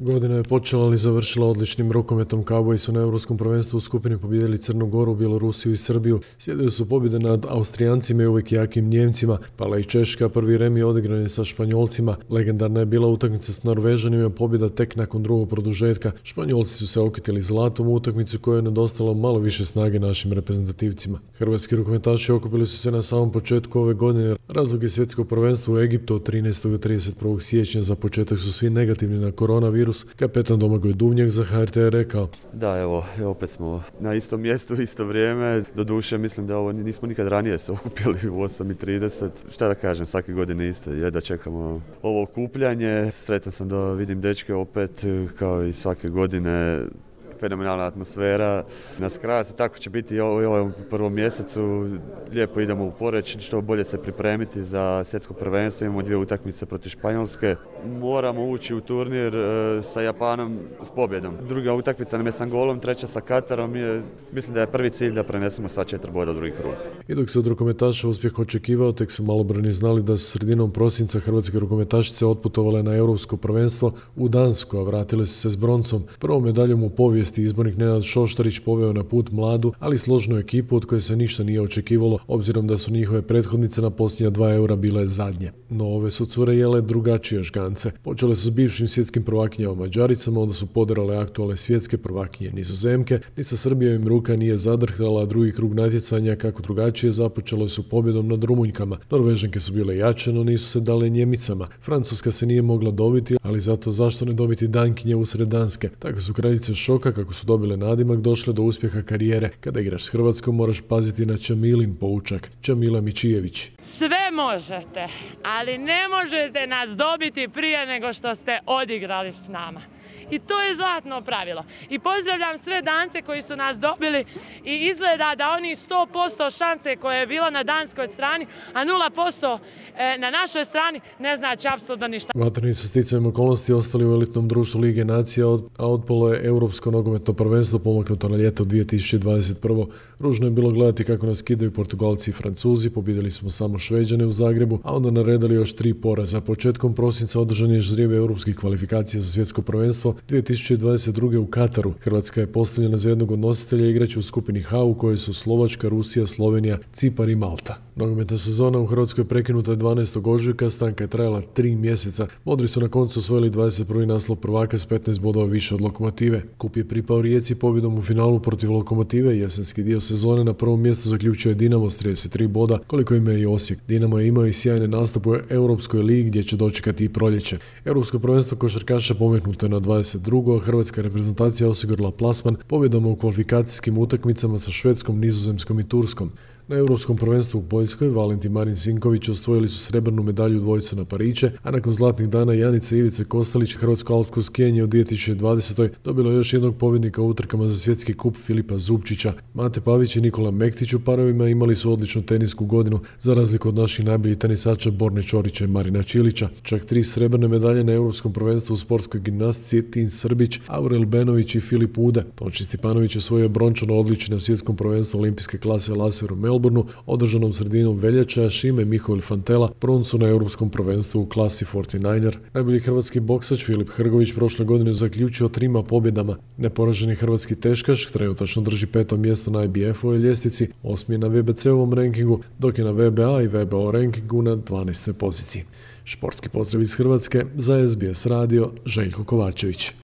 Godina je počela, ali završila odličnim rukometom. Kauboji su na Europskom prvenstvu u skupini pobijedili Crnu Goru, Bjelorusiju i Srbiju. Slijedile su pobjede nad Austrijancima i uvijek jakim Njemcima. Pala i Češka, prvi remi odigran je sa Španjolcima. Legendarna je bila utakmica s Norvežanima, pobjeda tek nakon drugog produžetka. Španjolci su se okitili zlatom u utakmicu kojoj je nedostalo malo više snage našim reprezentativcima. Hrvatski rukometaši okupili su se na samom početku ove godine. Razlog je svjetsko prvenstvo u Egiptu od 13. do 31. siječnja. Za početak su svi negativni na koronavirus. Kapetan Domagoj Duvnjak za HRT je rekao: Da, evo, opet smo na istom mjestu, isto vrijeme. Doduše, mislim da ovo nismo nikad ranije se okupili u 8:30. Šta da kažem, svake godine isto je da čekamo ovo okupljanje. Sretan sam da vidim dečke opet, kao i svake godine. Fenomenalna atmosfera. Nas kraja se tako će biti i u prvom mjesecu. Lijepo idemo u Poreč, što bolje se pripremiti za svjetsko prvenstvo. Imamo 2 utakmice protiv Španjolske. Moramo ući u turnir sa Japanom s pobjedom. Druga utakmica nam je s Angolom, treća sa Katarom. Mislim da je prvi cilj da prenesemo sva 4 boda u drugi krug. I dok se od rukometaša uspjeh očekivao, tek su malobrojni znali da su sredinom prosinca hrvatske rukometašice otputovale na Europsko prvenstvo u Dansku, a vratile su se s broncom. Prvom medaljom u povijesti izbornik Nenad Šoštarić poveo na put mladu, ali složnu ekipu od koje se ništa nije očekivalo, obzirom da su njihove prethodnice na posljednja 2 eura bile zadnje. No ove su cure jele drugačije žgance. Počele su s bivšim svjetskim prvakinjama Mađaricama, onda su poderale aktualne svjetske prvakinje Nizozemke. Ni sa Srbijom im ruka nije zadrhtala, a drugi krug natjecanja, kako drugačije, započelo su pobjedom nad Rumunjkama. Norvežanke su bile jače, no nisu se dale Njemicama. Francuska se nije mogla dobiti, ali zato zašto ne dobiti Dankinje usred Danske? Tako su kraljice šoka, kako su dobile nadimak, došle do uspjeha karijere. Kada igraš s Hrvatskom moraš paziti na Čamilin poučak. Čamila Mičijević. Sve možete, ali ne možete nas dobiti prije nego što ste odigrali s nama. I to je zlatno pravilo. I pozdravljam sve Dance koji su nas dobili i izgleda da oni 100% šanse koje je bilo na danskoj strani, a 0% na našoj strani ne znači apsolutno ništa. Vatreni su sticajem okolnosti ostali u elitnom društvu Lige nacija, a otpalo je Europsko nogometno prvenstvo pomaknuto na ljeto 2021. Ružno je bilo gledati kako nas kidaju Portugalci i Francuzi, pobijedili smo samo Šveđane u Zagrebu, a onda naredali još 3 poraza. Početkom prosinca održan je ždrijeb europskih kvalifikacija za svjetsko prvenstvo 2022. u Kataru. Hrvatska je postavljena za jednog od nositelja igrača u skupini H, u kojoj su Slovačka, Rusija, Slovenija, Cipar i Malta. Nogometna sezona u Hrvatskoj prekinuta je 12. ožujka, stanka je trajala 3 mjeseca. Modri su na koncu osvojili 21. naslov prvaka s 15 bodova više od Lokomotive. Kup je pripao Rijeci pobjedom u finalu protiv Lokomotive. Jesenski dio sezone na prvom mjestu zaključio je Dinamo s 33 boda, koliko ima i Osijek. Dinamo je imao i sjajne nastupe u Europskoj ligi gdje će dočekati i proljeće. Europsko prvenstvo košarkaša pomaknuto je na 22. Hrvatska reprezentacija osigurala plasman pobjedama u kvalifikacijskim utakmicama sa Švedskom, Nizozemskom i Turskom. Na Europskom prvenstvu u Poljskoj Valentin Marin Sinković osvojili su srebrnu medalju dvojicu na Pariće, a nakon zlatnih dana Janica i Ivice Kostelić hrvatsko alpsko skijanje u 2020. dobilo još jednog pobjednika u utrkama za svjetski kup Filipa Zubčića. Mate Pavić i Nikola Mektić u parovima imali su odličnu tenisku godinu, za razliku od naših najboljih tenisača Borne Čorića i Marina Čilića. Čak 3 srebrne medalje na Europskom prvenstvu u sportskoj gimnastici Tin Srbić, Aurel Benović i Filip Ude. Tonči Stipanović osvojio brončano odličje na svjetskom prvenstvu olimpijske klase laser u Melbourneu, održanom sredinom veljače, a Šime Mihovil Fantela broncu na Europskom prvenstvu u klasi 49er. Najbolji hrvatski boksač Filip Hrgović prošle godine zaključio 3 pobjedama. Neporaženi hrvatski teškaš trenutačno drži 5. mjesto na IBF-ovoj ljestvici, 8. je na WBC-ovom rankingu, dok je na WBA i WBO rankingu na 12. poziciji. Športski pozdrav iz Hrvatske za SBS radio, Željko Kovačević.